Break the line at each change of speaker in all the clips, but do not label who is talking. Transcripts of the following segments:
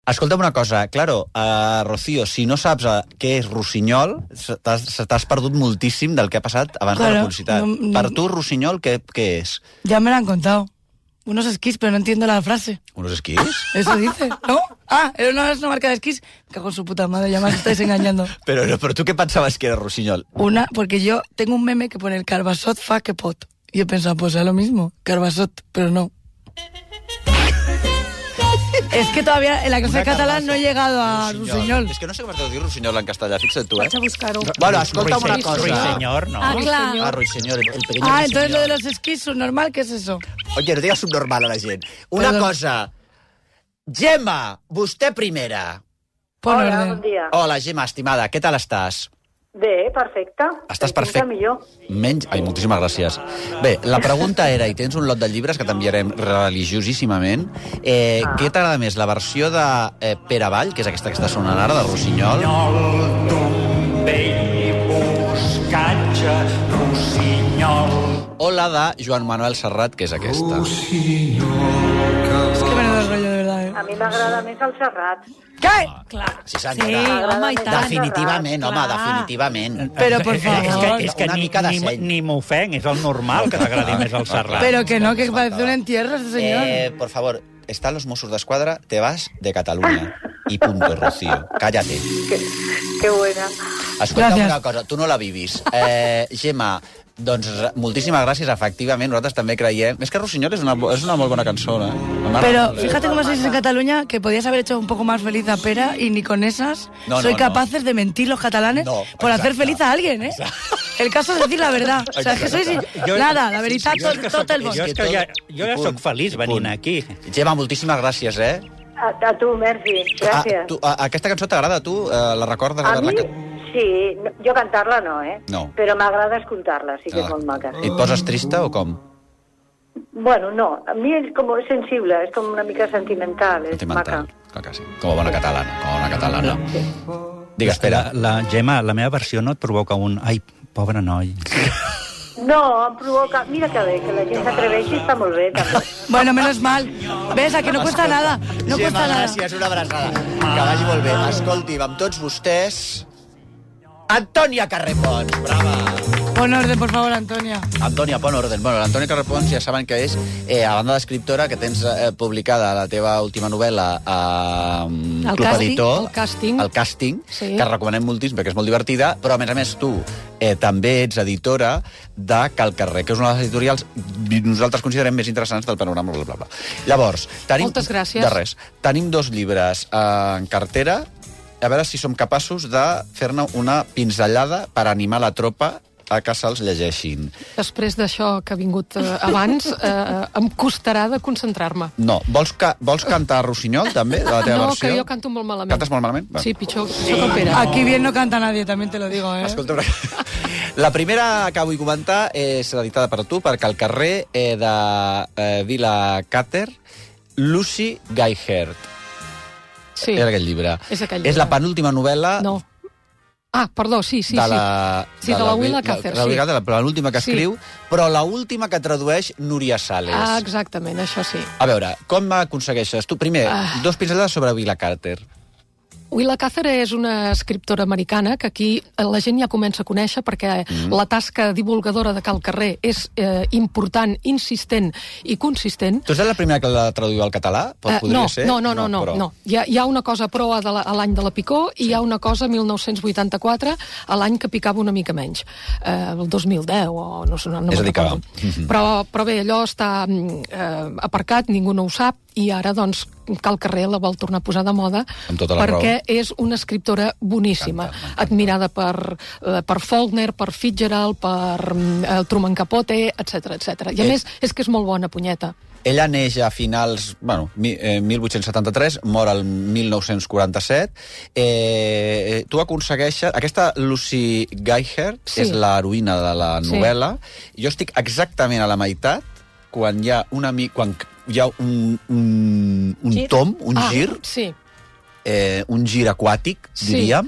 Escolta'm una cosa, claro, Rocío, si no saps què és rossinyol, t'has perdut moltíssim del que ha passat abans de la publicitat. Per tu, rossinyol, què és?
Ya me lo han contado. Unos esquís, pero no entiendo la frase.
¿Unos esquís?
Eso dice, ¿no? Ah, era una marca de esquís. Me cago en su puta madre, ya me estáis engañando.
Pero ¿tú qué pensabas que era rossinyol?
Porque yo tengo un meme que pone el Carbasot fa que pot. Y he pensado, pues es lo mismo, Carbasot, pero no. Es que todavía en la clase de catalán no he llegado a rossinyol.
És que no sé com es deu dir rossinyol en castellà, fixa't tu,
Vaig a buscar-ho.
Bueno, escolta'm una cosa.
Ruiseñor, ¿no?
Clar.
Ruiseñor, el pequeño
Ah, entonces
ruiseñor.
lo de los esquís subnormal, ¿qué es eso?
Oye, no digas subnormal a la gent. Una
Perdó.
cosa. Gemma, vostè primera.
Pon
Hola,
orden.
bon dia.
Hola, Gemma, estimada, què tal estàs?
Bé, perfecte.
Estàs
Mica
perfecte.
millor.
Menys... Ai, moltíssimes gràcies. Bé, la pregunta era, i tens un lot de llibres que t'enviarem religiosíssimament, què t'agrada més, la versió de Pere Avall, que és aquesta que està sonant ara, de Rossinyol? O la de Joan Manuel Serrat, que és aquesta.
Es que menudo rollo, de verdad,
A mi m'agrada més el Serrat.
¿Qué?
Sí, senyora.
Sí, home, i tant.
Definitivament, home, definitivament.
Pero por favor.
És que
Una mica de seny.
ni m'ofenc, és el normal que t'agradi més el Serrat.
Pero que no, que parece un entierro este señor.
Por favor, están los Mossos d'Esquadra, te vas de Cataluña. Y punto, Rocío. Cállate.
Que buena.
Escolta'm
Gràcies.
una cosa, tu no la vivis. Gemma, doncs moltíssimes gràcies, efectivament, nosaltres també creiem... És que Rossinyol és una molt bona cançó, eh?
Pero fíjate cómo se dice en Cataluña que podías haber hecho un poco más feliz a Pera y ni con esas soy capaces de mentir los catalanes por hacer feliz a alguien, ¿eh? El caso es decir la verdad. O sea, es que sois... Nada, la veritat, tot el món.
Jo ja soc feliç venint aquí.
Gemma, moltíssimes gràcies, eh?
A tu, merci. Gràcies.
Aquesta cançó t'agrada a tu? La recordes?
A mi, sí. Jo cantar-la no,
No.
Però m'agrada escoltar-la, sí que és molt maca.
I et poses trista o com?
Bueno, no. A mi és com sensible, és com una mica sentimental, és maca.
Clar que sí. Com a bona catalana. Digues, espera.
La Gemma, la meva versió no et provoca un... Ai, pobre noi.
No, em provoca... Mira que bé, que la gent s'atreveixi està molt bé, també.
Bueno, menos mal. ¿Ves? A que no cuesta nada. No
Gemma,
cuesta nada.
gràcies, una abraçada. Que vagi molt bé. Escolti'm, amb tots vostès... Antònia Carrepons, brava!
Pon orden, por favor, Antonia.
Antònia, pon orden. Bueno, l'Antònia Carrepons ja saben que és, a banda d'escriptora, que tens publicada la teva última novel·la a Club Editor.
El càsting. Sí.
Que recomanem moltíssim perquè és molt divertida, però a més tu també ets editora de Cal Carrer, que és una de les editorials nosaltres considerem més interessants del panorama, bla, bla, bla. Llavors,
moltes gràcies.
De res. Tenim 2 llibres en cartera, a veure si som capaços de fer-ne una pinzellada per animar la tropa a que se'ls llegeixin.
Després d'això que ha vingut abans, em costarà de concentrar-me.
No. Vols cantar Rossinyol, també, de la teva versió?
No, que jo canto molt malament.
Cantes molt malament?
Sí, pitjor. Soc el Pere.
Aquí bien no canta nadie, también te lo digo, ¿eh?
Escolta, la primera que vull comentar és editada per tu, perquè al carrer de Vila Càter, Lucy Gaihert.
Sí.
És aquell llibre.
És aquell llibre.
És la penúltima novel·la...
No. Ah, perdó, sí.
De la
Willa Cather,
sí. La penúltima que escriu, però l'última que tradueix Núria Sales.
Ah, exactament, això sí.
A veure, com aconsegueixes? Tu, primer, 2 pinzellades sobre Vila Càter.
Willa Cather és una escriptora americana que aquí la gent ja comença a conèixer perquè la tasca divulgadora de Cal Carrer és important, insistent i consistent.
Tu ets la primera que la traduïu al català? Podria ser?
No. Hi ha una cosa proa a l'any de la Picó i hi ha una cosa 1984, a l'any que picava una mica menys. El 2010 o no me'n recordo. Però bé, allò està aparcat, ningú no ho sap, i ara, doncs, Cal Carrer la vol tornar a posar de moda perquè és una escriptora boníssima, admirada per Faulkner, per Fitzgerald, per Truman Capote, etc. I a més, és que és molt bona, punyeta.
Ella neix a finals, 1873, mor el 1947. Tu aconsegueixes... Aquesta Lucy Gaihert és l'heroïna de la novel·la. Jo estic exactament a la meitat quan hi ha un tom, un gir, un gir aquàtic, diríem,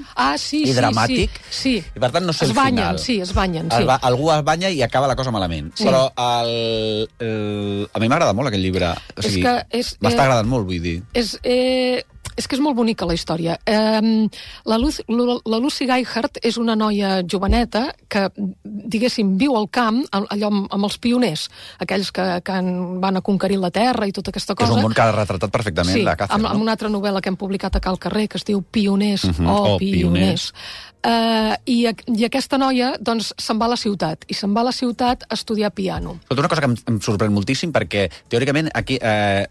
i dramàtic, i per tant no sé el final.
Es banyen.
Algú es banya i acaba la cosa malament. Però a mi m'agrada molt aquest llibre. M'està agradant molt, vull dir.
és que és molt bonica la història. La Lucy Geihart és una noia joveneta que, diguéssim, viu al camp, allò amb els pioners, aquells que van a conquerir la terra i tota aquesta cosa.
És un món que ha retratat perfectament la Cather, no?
Amb una altra novel·la que hem publicat a Cal Carrer, que es diu Pioners Pioners. I aquesta noia, doncs, se'n va a la ciutat, i se'n va a la ciutat a estudiar piano.
Però una cosa que em sorprèn moltíssim, perquè, teòricament, aquí,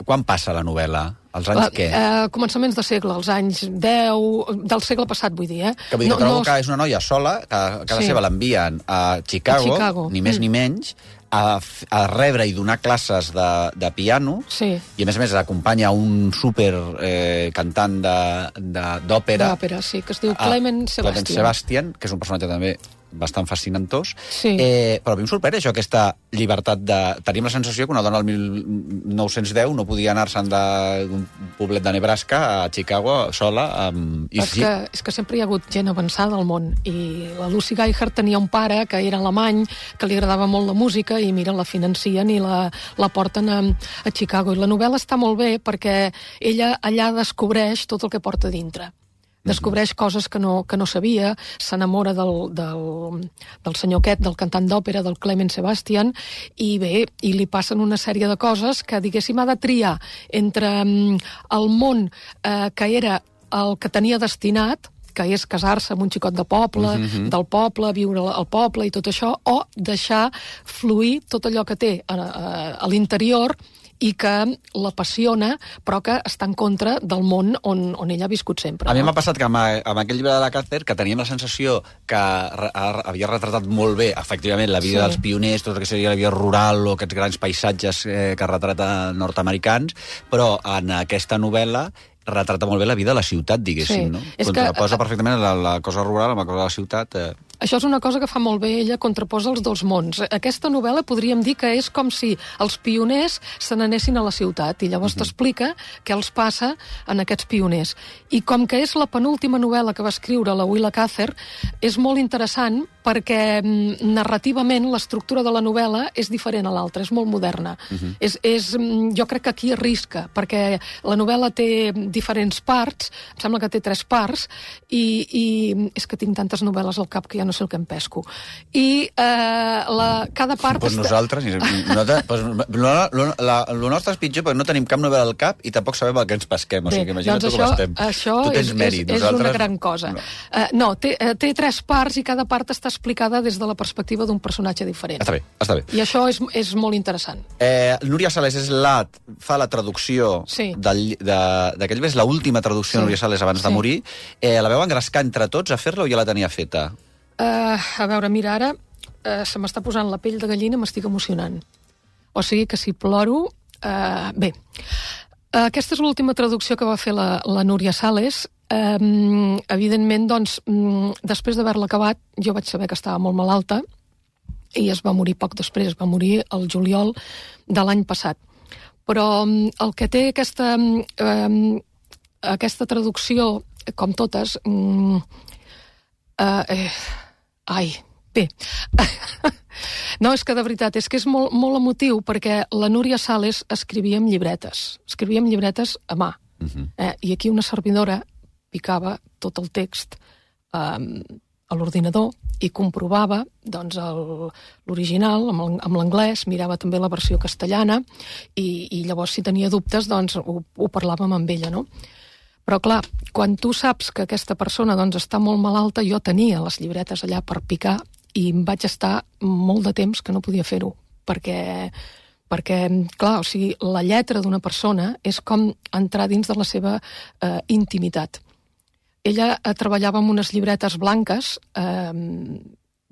quan passa la novel·la? Els anys què?
Començaments de segle, els anys 10, del segle passat, vull dir,
Que vull dir que trobo que és una noia sola, que a casa seva l'envien a Chicago, ni més ni menys, a rebre i donar classes de piano, i a més acompanya un super cantant d'òpera.
D'òpera, sí, que es diu Clement Sebastian.
Clement Sebastian, que és un personatge també bastant fascinantós, però a mi em sorprèn això, aquesta llibertat de... Tenim la sensació que una dona al 1910 no podia anar-se'n d'un poblet de Nebraska a Chicago sola.
És que sempre hi ha hagut gent avançada al món, i la Lucy Geihart tenia un pare que era alemany, que li agradava molt la música, i mira, la financien i la porten a Chicago. I la novel·la està molt bé perquè ella allà descobreix tot el que porta dintre. Descobreix coses que no sabia, s'enamora del senyor aquest, del cantant d'òpera, del Clement Sebastian, i bé, i li passen una sèrie de coses que, diguéssim, ha de triar entre el món que era el que tenia destinat, que és casar-se amb un xicot de poble, del poble, viure al poble i tot això, o deixar fluir tot allò que té a l'interior i que l'apassiona, però que està en contra del món on ella ha viscut sempre.
A mi m'ha passat que amb aquell llibre de la Cather, que teníem la sensació que havia retratat molt bé, efectivament, la vida dels pioners, tot el que seria la vida rural o aquests grans paisatges que retrata nord-americans, però en aquesta novel·la retrata molt bé la vida de la ciutat, diguéssim, no? Contraposa perfectament la cosa rural amb la cosa de la ciutat.
Això és una cosa que fa molt bé ella, contraposa els dos mons. Aquesta novel·la podríem dir que és com si els pioners se n'anessin a la ciutat, i llavors t'explica què els passa en aquests pioners. I com que és la penúltima novel·la que va escriure la Willa Cather, és molt interessant perquè narrativament l'estructura de la novel·la és diferent a l'altra, és molt moderna. Jo crec que aquí arrisca, perquè la novel·la té diferents parts, em sembla que té 3 parts, i és que tinc tantes novel·les al cap que ja no sé el que em pesco. I cada part...
Doncs nosaltres, el nostre és pitjor perquè no tenim cap novel·la al cap i tampoc sabem el que ens pesquem, o sigui que imagina't tu com estem.
Tu tens mèrit, és una gran cosa. No, té 3 parts i cada part està explicada des de la perspectiva d'un personatge diferent.
Està bé.
I això és molt interessant.
Núria Sales fa la traducció d'aquell mes, l'última traducció de Núria Sales abans de morir. La veu engrescar entre tots a fer-la o ja la tenia feta?
A veure, mira, ara se m'està posant la pell de gallina, m'estic emocionant. O sigui que si ploro... Bé, aquesta és l'última traducció que va fer la Núria Sales. Evidentment, doncs, després d'haver-la acabat, jo vaig saber que estava molt malalta i es va morir poc després, va morir el juliol de l'any passat. Però el que té aquesta traducció, com totes... bé. No, és que de veritat, és que és molt, molt emotiu, perquè la Núria Sales escrivia amb llibretes a mà. I aquí una servidora picava tot el text a l'ordinador i comprovava doncs, l'original amb l'anglès, mirava també la versió castellana i llavors si tenia dubtes doncs, ho parlàvem amb ella, no? Però clar, quan tu saps que aquesta persona doncs, està molt malalta, jo tenia les llibretes allà per picar i em vaig estar molt de temps que no podia fer-ho, perquè clar, o sigui, la lletra d'una persona és com entrar dins de la seva intimitat. Ella treballava amb unes llibretes blanques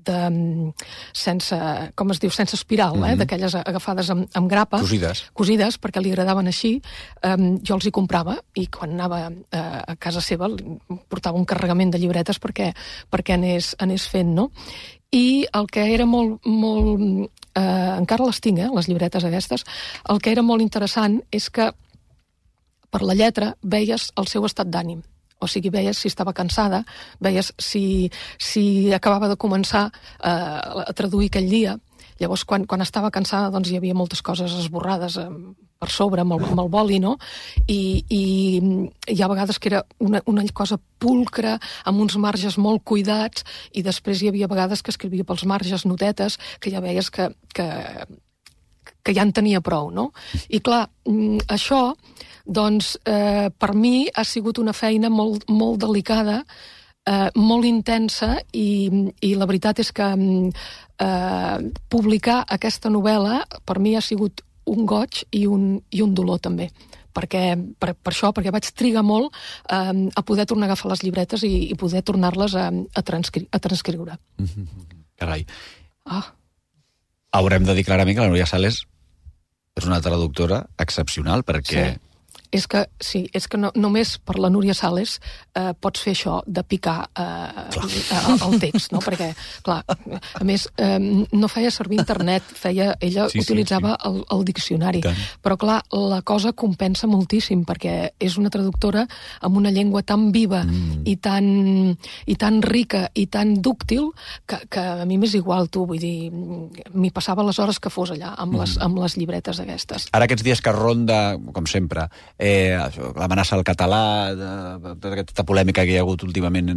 sense, com es diu, sense espiral, d'aquelles agafades amb grapa. Cosides, perquè li agradaven així. Jo els hi comprava i quan anava a casa seva portava un carregament de llibretes perquè anés fent, no? I el que era molt encara les tinc, les llibretes aquestes, el que era molt interessant és que per la lletra veies el seu estat d'ànim. O sigui, veies si estava cansada, veies si acabava de començar a traduir aquell dia, Llavors, quan estava cansada, doncs hi havia moltes coses esborrades per sobre, amb el boli, no? I hi ha vegades que era una cosa pulcra, amb uns marges molt cuidats, i després hi havia vegades que escrivia pels marges notetes, que ja veies que ja en tenia prou, no? I clar, això, doncs, per mi ha sigut una feina molt, molt delicada, molt intensa, i la veritat és que publicar aquesta novel·la per mi ha sigut un goig i un dolor també, per això, perquè vaig trigar molt a poder tornar a agafar les llibretes i poder tornar-les a transcriure.
Carai. Haurem de dir clarament que la Núria Sales és una traductora excepcional, perquè...
És que només per la Núria Sales pots fer això de picar el text, no? Perquè, clar, a més, no feia servir internet, ella utilitzava el diccionari, però clar, la cosa compensa moltíssim, perquè és una traductora amb una llengua tan viva i tan rica i tan dúctil que a mi m'és igual, tu, vull dir, m'hi passava les hores que fos allà, amb les llibretes aquestes.
Ara aquests dies que ronda, com sempre, l'amenaça al català, tota aquesta polèmica que hi ha hagut últimament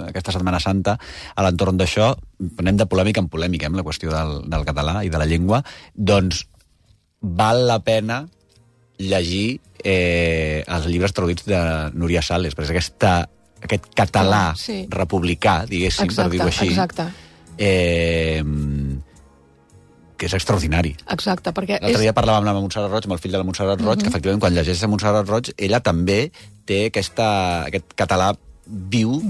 aquesta Setmana Santa, a l'entorn d'això, anem de polèmica en polèmica, amb la qüestió del català i de la llengua, doncs val la pena llegir els llibres traduïts de Núria Sales, perquè aquest català republicà, diguéssim, per dir-ho així, que és extraordinari.
Exacte, perquè...
L'altre dia parlàvem amb la Montserrat Roig, amb el fill de la Montserrat Roig, que efectivament quan llegeix a Montserrat Roig, ella també té aquest català viu,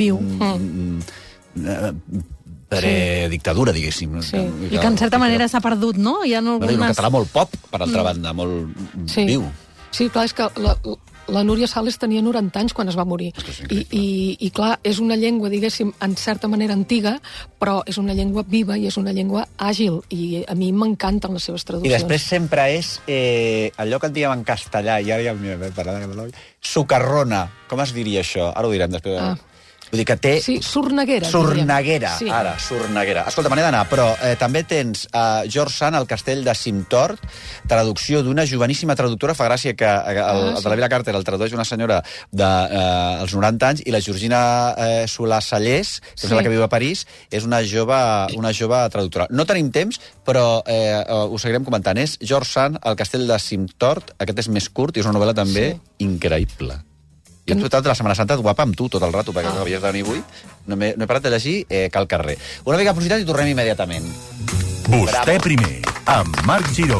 predictadura, diguéssim.
I que en certa manera s'ha perdut, no? Hi ha algunes...
Un català molt pop, per altra banda, molt viu.
Sí, clar, és que la Núria Sales tenia 90 anys quan es va morir. I clar, és una llengua, diguéssim, en certa manera antiga, però és una llengua viva i és una llengua àgil, i a mi m'encanten les seves traduccions.
I després sempre és allò que en diguem en castellà, i ara ja m'he parlat de català, socarrona. Com es diria això? Ara ho direm després. Vull dir que té...
Sí, sorneguera.
Sorneguera, ara, sorneguera. Escolta, me n'he d'anar, però també tens George Sand, El castell de Cimptort, traducció d'una joveníssima traductora. Fa gràcia que el de la Vila Carter el tradueix una senyora dels 90 anys, i la Georgina Solà-Sallés, que és la que viu a París, és una jove traductora. No tenim temps, però ho seguirem comentant. És George Sand, El castell de Cimptort. Aquest és més curt i és una novel·la també increïble. Jo he disfrutat de la Setmana Santa guapa amb tu tot el rato, perquè havies de venir avui. No he parat de llegir Cal carrer. Una mica de publicitat i tornem immediatament.
Vostè primer, amb Marc Giró.